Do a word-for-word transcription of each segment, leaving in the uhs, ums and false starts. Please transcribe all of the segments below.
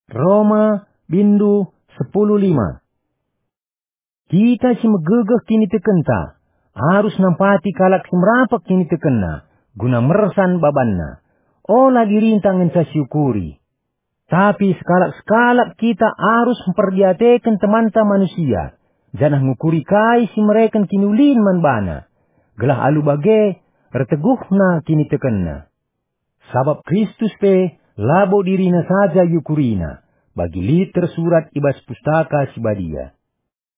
Roma, bindu sepuluh lima. Kita si megegeh kinitekenta, arus nampati kalak si merapek kinitekenna, guna mersan babanna. Ola dirinta ngenca siukuri. Tapi sekalak-sekalak kita arus mperdiateken temanta manusia, janah ngukuri kai si mereken kiniulin man bana, gelah alu bage erteguhna kinitekenna. Sabap Kristus pe labo dirina saja iukurina, bagi lit tersurat i bas Pustaka Si Badia.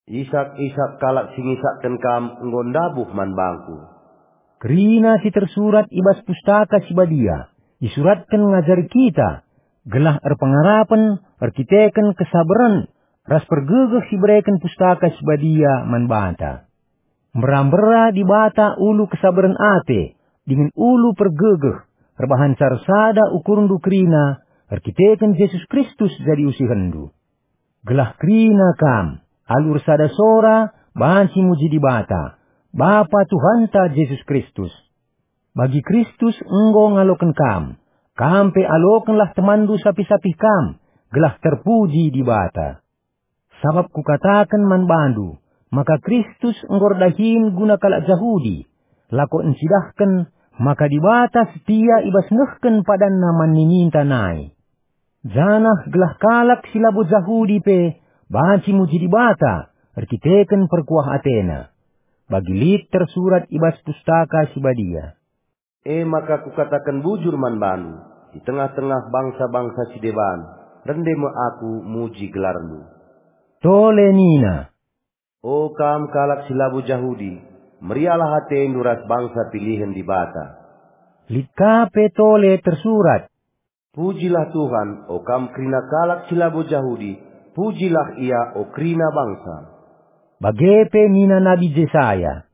Isak-isak kalak si ngisakken kam enggo ndabuh man bangku. Kerina si tersurat i bas Pustaka Si Badia isuratken ngajari kita, gelah erpengarapen erkiteken kesabaren ras pergegeh si ibereken Pustaka Si Badia man banta. Mbera-mbera Dibata ulu kesabaren ate dingen ulu pergegeh erbahanca ersada ukurndu kerina erkiteken Jesus Kristus jadi usihenndu. Gelah kerina kam, alu ersada sora, banci muji Dibata, Bapa Tuhanta Jesus Kristus. Bagi Kristus enggo ngaloken kam, kam pe alokenlah temanndu sapih-sapih kam, gelah terpuji Dibata. Sabap kukataken man bandu, maka Kristus enggo erdahin guna kalak Jahudi, lako encidahken maka Dibata setia i bas nehken padanNa man nininta nai. Janah gelah kalak si labo Jahudi pe banci muji Dibata erkiteken perkuah atena. Bagi lit tersurat i bas Pustaka Si Badia, "E maka kukataken bujur man bandu, i tengah-tengah bangsa-bangsa si deban, rende me aku muji gelarndu." Tole nina, "O kam kalak si labo Jahudi, meriahlah atendu ras bangsa pilihen Dibata." Lit ka pe tole tersurat, "Pujilah Tuhan, o kam kerina kalak si labo Jahudi, pujilah Ia, o kerina bangsa." Bage pe nina Nabi Jesaya,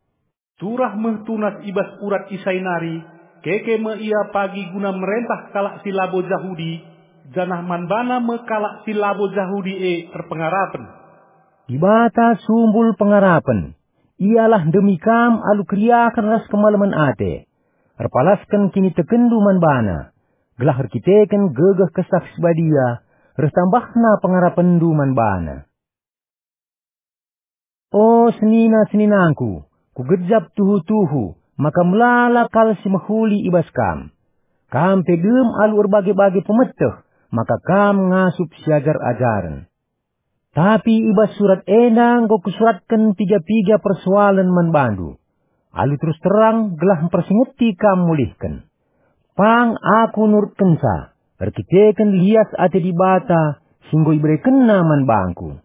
"Turah me tunas i bas urat Isai nari, keke me ia pagi guna merentah kalak si labo Jahudi, janah man bana me kalak si labo Jahudi e erpengarapen." Dibata sumbul pengarapen, Ialah ndemi kam alu keriahen ras kemalemen ate. Erpalasken kinitekenndu man baNa, gelah erkiteken gegeh Kesah Si Badia reh tambahna pengarapenndu man baNa. O senina-seninangku, kugejap tuhu-tuhu maka melala kal si mehuli i bas kam. Kam pe dem alu erbage-bage pemeteh, maka kam ngasup siajar-ajaren. Tapi i bas surat enda enggo kusuratken piga-piga persoalen man bandu, alu terus terang gelah mpersingeti kam mulihken. Pang aku nurutkenca, erkiteken lias ate Dibata si enggo iberekenNa man bangku.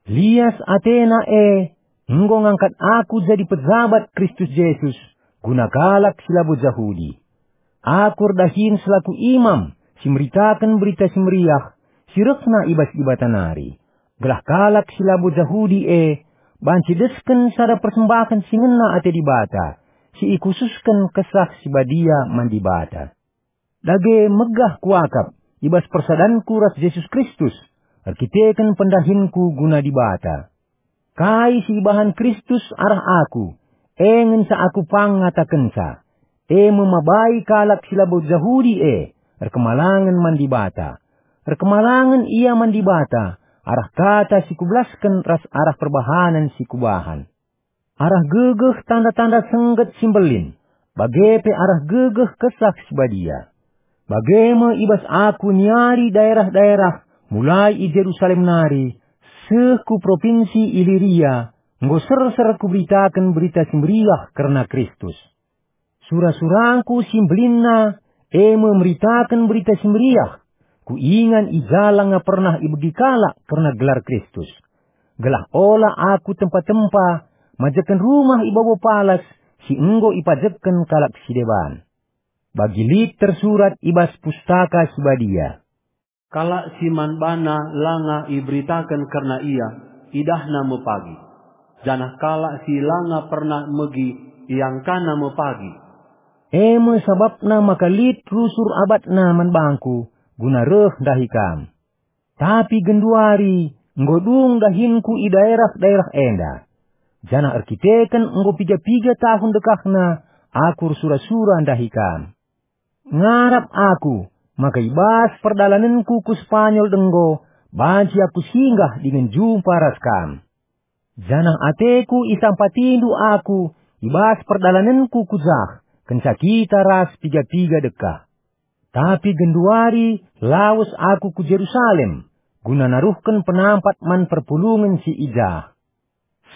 Lias ateNa e enggo ngangkat aku jadi pejabat Kristus Jesus guna kalak si labo Jahudi. Aku erdahin selaku imam si meritaken Berita Si Meriah si rehna i bas Dibata nari, gelah kalak si labo Jahudi e banci desken sada persembahen si ngena ate Dibata, si ikhususken Kesah Si Badia man Dibata. Dage megah kuakap i bas persadanku ras Jesus Kristus, erkiteken pendahinku guna Dibata. Kai si ibahan Kristus arah aku, e ngenca aku pang ngatakenca, e me mabai kalak si labo Jahudi e erkemalangen man Dibata. Erkemalangen ia man Dibata arah kata si kubelasken ras arah perbahanen si kubahan. Arah gegeh tanda-tanda sengget si mbelin, bage pe arah gegeh Kesah Si Badia. Bage me i bas aku niari daerah-daerah, mulai i Jerusalem nari, seh ku propinsi Iliria, enggo serser kuberitaken Berita Si Meriah kerna Kristus. Sura-surangku si mbelinna, e me meritaken Berita Si Meriah, ku ingan i ja langa pernah ibegi kalak kerna gelar Kristus, gelah ola aku tempa-tempa majekken rumah i babo palas si enggo ipajekken kalak si deban. Bagi lit tersurat i bas Pustaka Si Badia, "Kalak si man bana langa iberitaken kerna ia, idahna me pagi, janah kalak si langa pernah megi, iangkana me pagi." E me sabapna maka lit rusur abatna man bangku guna reh ndahi kam. Tapi genduari enggo dung dahinku i daerah-daerah enda, janah erkiteken enggo piga-piga tahun dekahna aku ersura-sura ndahi kam. Ngarap aku, maka i bas perdalanenku ku Spanyol denggo, banci aku singgah dingen jumpa ras kam. Janah ateku isampatindu aku i bas perdalanenku ku jah, kenca kita ras piga-piga dekah. Tapi genduari lawes aku ku Jerusalem, guna naruhken penampat man perpulungen si i jah.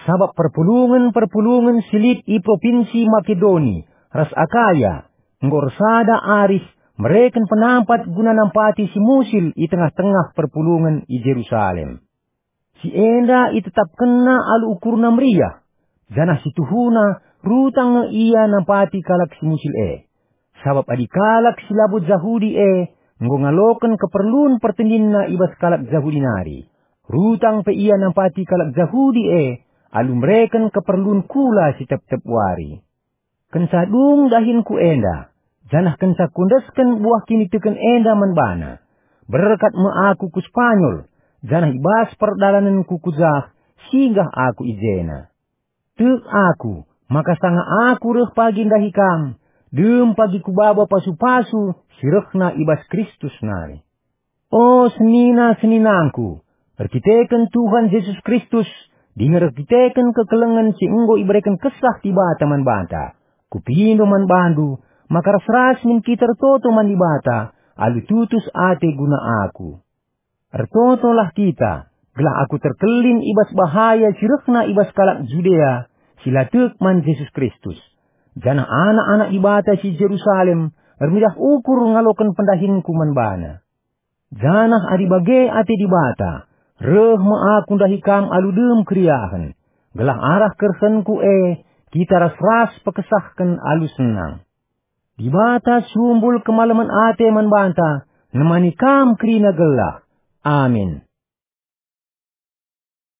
Sabap perpulungen-perpulungen si lit i propinsi Makedoni ras Akaya enggo ersada arih mereken penampat guna nampati si musil i tengah-tengah perpulungen i Jerusalem. Si enda itetapkenna alu ukurna meriah, janah si tuhuna rutang nge ia nampati kalak si musil e. Sabap adi kalak si labo Jahudi e enggo ngaloken keperlun pertendinna i bas kalak Jahudi nari, rutang pe ia nampati kalak Jahudi e alu mereken keperlun kula si tep-tep wari. Kenca dung dahinku enda, janah kenca kuendesken buah kiniteken enda man bana, berkat me aku ku Spanyol, janah i bas perdalanenku ku jah, singgah aku i jena. Tek aku, maka sanga aku reh pagi ndahi kam, dem pagi kubaba pasu-pasu si rehna i bas Kristus nari. O senina-seninangku, erkiteken Tuhan Jesus Kristus, dingen erkiteken kekelengen si enggo ibereken Kesah Dibata man banta, kupindo man bandu, maka ras-ras min kita ertoto man Dibata, alu tutus ate guna aku. Ertotolah kita, gelah aku terkelin i bas bahaya si rehna i bas kalak Judea si la tek man Jesus Kristus, janah anak-anak Dibata si Jerusalem ermeriah ukur ngaloken pendahinku man bana. Janah adi bage ate Dibata, reh me aku ndahi kam alu dem keriahen, gelah arah kerehenku e kita ras-ras pekesahken alu senang. Dibata sumbul kemalemen ate man banta, nemani kam kerina gelah. Amin.